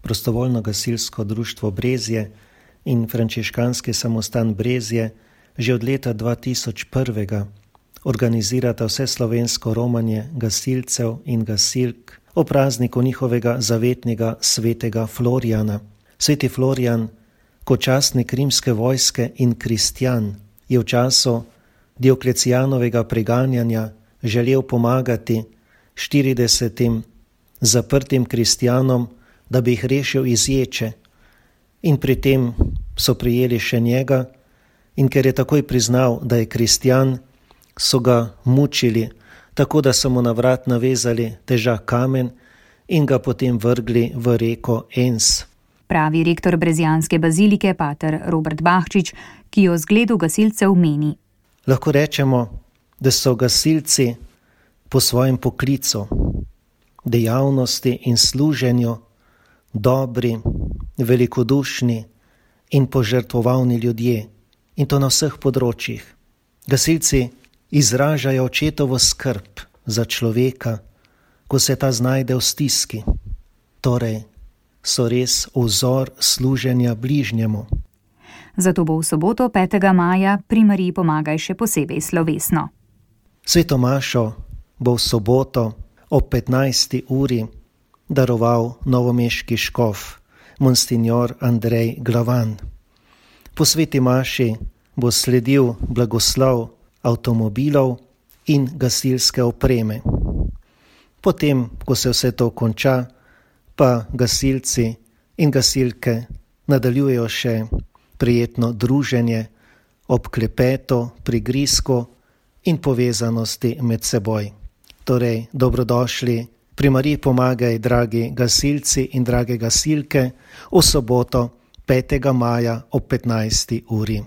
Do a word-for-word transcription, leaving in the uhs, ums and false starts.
Prostovoljno gasilsko društvo Brezje in frančiškanski samostan Brezje že od leta dva tisoč jedan organizirata vseslovensko romanje gasilcev in gasilk o prazniku njihovega zavetnega svetega Florijana. Sveti Florijan, kot častnik rimske vojske in kristjan, je v času Dioklecijanovega preganjanja želel pomagati štiridesetim zaprtim kristjanom, da bi jih rešil iz ječe, in pri tem so prijeli še njega, in ker je takoj priznal, da je kristjan, so ga mučili, tako da so mu na vrat navezali težak kamen in ga potem vrgli v reko Enns. Pravi rektor brezjanske bazilike pater Robert Bahčič, ki o zgledu gasilcev meni. Lahko rečemo, da so gasilci po svojem poklicu, dejavnosti in služenju dobri, velikodušni in požrtvovalni ljudje, in to na vseh področjih. Gasilci izražajo očetovo skrb za človeka, ko se ta znajde v stiski. Torej, so res vzor služenja bližnjemu. Zato bo v soboto petega maja pri Mariji Pomagaj še posebej slovesno. Sveto mašo bo v soboto ob petnajsti uri daroval novomeški škof, monsinjor Andrej Glavan. Po sveti maši bo sledil blagoslov avtomobilov in gasilske opreme. Potem, ko se vse to konča, pa gasilci in gasilke nadaljujejo še prijetno druženje ob klepetu, prigrizku in povezanosti med seboj. Torej, dobrodošli pri Mariji Pomagaj, dragi gasilci in drage gasilke, v soboto petega maja ob petnajsti uri.